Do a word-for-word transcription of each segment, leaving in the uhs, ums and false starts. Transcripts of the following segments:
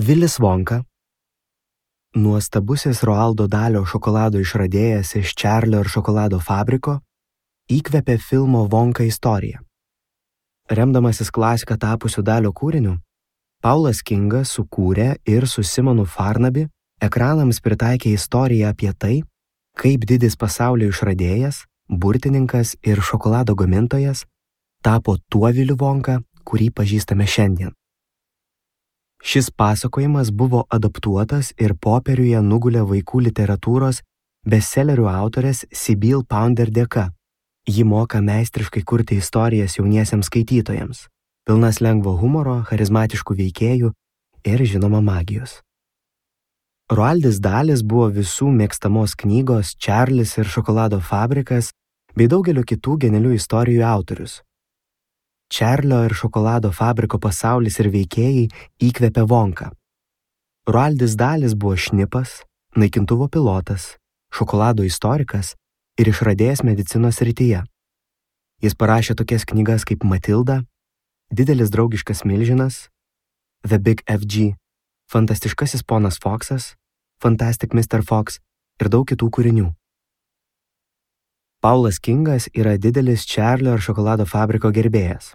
Vilis Vonka, nuostabusis Roaldo Dalio šokolado išradėjas iš Čarlio ir šokolado fabriko, įkvėpė filmo Vonka istoriją. Remdamasis klasika tapusiu Dalio kūriniu, Paulas Kingas sukūrė ir su Simonu Farnaby ekranams pritaikė istoriją apie tai, kaip didis pasaulio išradėjas, burtininkas ir šokolado gamintojas tapo tuo Viliu Vonka, kurį pažįstame šiandien. Šis pasakojimas buvo adaptuotas ir popieriuje nugulė vaikų literatūros bestselerių autorės Sybil Pounder dėka. Ji moka meistriškai kurti istorijas jauniesiems skaitytojams, pilnas lengvo humoro, charizmatiškų veikėjų ir žinoma magijos. Roaldis Dalis buvo visų mėgstamos knygos Čarlis ir šokolado fabrikas bei daugelio kitų genialių istorijų autorius. Čarlio ir šokolado fabriko pasaulis ir veikėjai įkvėpė Vonką. Roaldis Dalis buvo šnipas, naikintuvo pilotas, šokolado istorikas ir išradėjas medicinos srityje. Jis parašė tokias knygas kaip Matilda, Didelis draugiškas milžinas, The Big F G, Fantastiškasis ponas Foksas, Fantastic mister Fox ir daug kitų kūrinių. Paulas Kingas yra didelis Čarlio ir šokolado fabriko gerbėjas.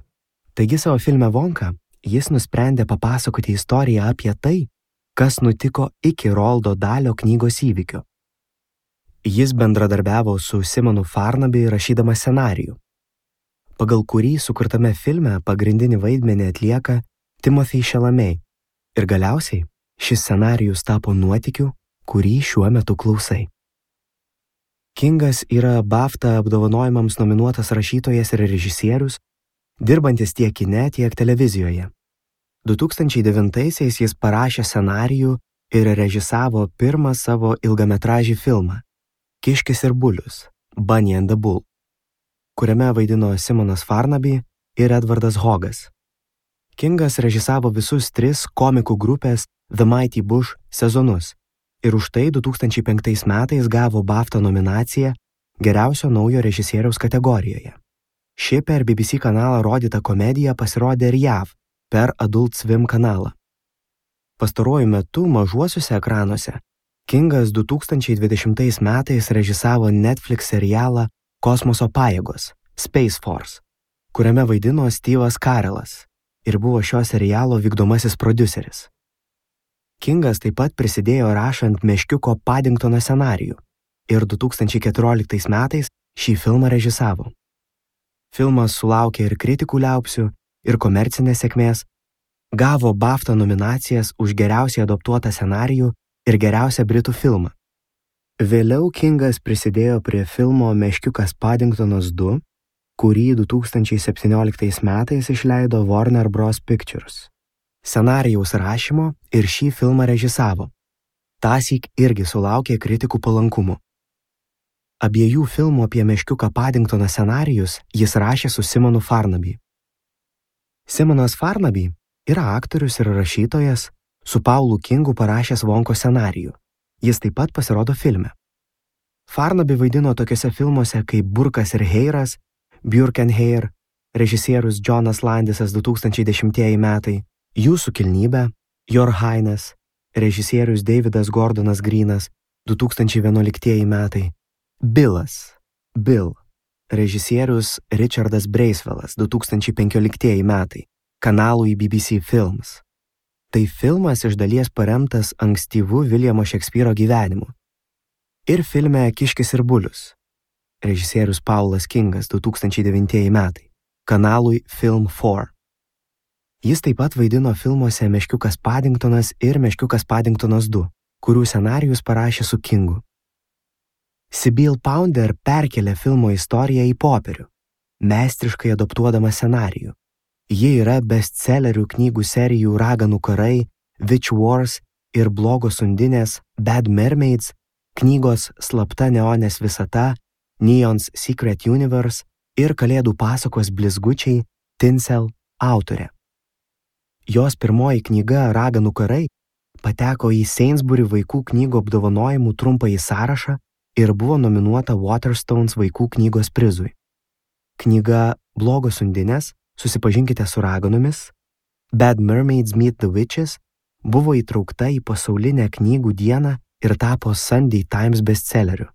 Taigi savo filme Vonka jis nusprendė papasakoti istoriją apie tai, kas nutiko iki Roaldo Dalio knygos įvykio. Jis bendradarbiavo su Simonu Farnaby rašydamas scenarijų, pagal kurį sukurtame filme pagrindinį vaidmenį atlieka Timothée Chalamet ir galiausiai šis scenarijus tapo nuotykiu, kurį šiuo metu klausai. Kingas yra BAFTA apdovanojimams nominuotas rašytojas ir režisierius, dirbantis tiek kine, tiek televizijoje. du tūkstančiai devintaisiais jis parašė scenarijų ir režisavo pirmą savo ilgametražį filmą Kiškis ir bulius, Bunny and the Bull, kuriame vaidino Simonas Farnaby ir Edvardas Hogas. Kingas režisavo visus tris komikų grupės The Mighty Bush sezonus ir už tai du tūkstančiai penktais metais gavo BAFTA nominaciją geriausio naujo režisieriaus kategorijoje. Ši per B B C kanalą rodyta komedija pasirodė ir J A V per Adult Swim kanalą. Pastaruoju metu mažuosiuose ekranuose Kingas du tūkstančiai dvidešimtais metais režisavo Netflix serialą Kosmoso pajėgos Space Force, kuriame vaidino Steve'as Carelas ir buvo šio serialo vykdomasis prodiuseris. Kingas taip pat prisidėjo rašant Meškiuko Paddingtono scenarijų ir du tūkstančiai keturioliktais metais šį filmą režisavo. Filmas sulaukė ir kritikų liaupsių, ir komercinės sėkmės, gavo BAFTA nominacijas už geriausiai adaptuotą scenarijų ir geriausią britų filmą. Vėliau Kingas prisidėjo prie filmo Meškiukas Paddingtonas du, kurį du tūkstančiai septynioliktais metais išleido Warner Bros. Pictures. Scenarijaus rašymo ir šį filmą režisavo. Tąsyk irgi sulaukė kritikų palankumo. Abiejų filmų apie Meškiuką Paddingtoną scenarijus jis rašė su Simonu Farnaby. Simonas Farnaby yra aktorius ir rašytojas, su Paulu Kingu parašęs Vonko scenarijų. Jis taip pat pasirodo filme. Farnaby vaidino tokiuose filmuose kaip Burkas ir Heiras, Björk and Hare, režisierius Jonas Landisas du tūkstančiai dešimtieji metai, Jūsų kilnybė, Your Highness, režisierius Davidas Gordonas Greenas du tūkstančiai vienuoliktieji metai, Bilas, Bill, režisierius Richardas Breisvelas du tūkstančiai penkioliktieji metai, kanalui B B C Films. Tai filmas iš dalies paremtas ankstyvu Viljamo Šekspyro gyvenimu. Ir filme Kiškis ir bulius, režisierius Paulas Kingas du tūkstančiai devintieji metai, kanalui Film keturi. Jis taip pat vaidino filmuose Meškiukas Paddingtonas ir Meškiukas Paddingtonas du, kurių scenarijus parašė su Kingu. Sybil Pounder perkelė filmo istoriją į popierių, meistriškai adaptuodama scenarijų. Ji yra bestsellerių knygų serijų Raganų karai, Witch Wars ir Blogos undinės Bad Mermaids, knygos Slapta neonės visata, Neon's Secret Universe ir Kalėdų pasakos Blizgučiai Tinsel autorė. Jos pirmoji knyga Raganų karai pateko į Sainsbury vaikų knygų apdovanojimų trumpąjį sąrašą ir buvo nominuota Waterstones vaikų knygos prizui. Knyga Blogos undinės, susipažinkite su raganomis, Bad Mermaids Meet the Witches buvo įtraukta į pasaulinę knygų dieną ir tapo Sunday Times bestselleriu.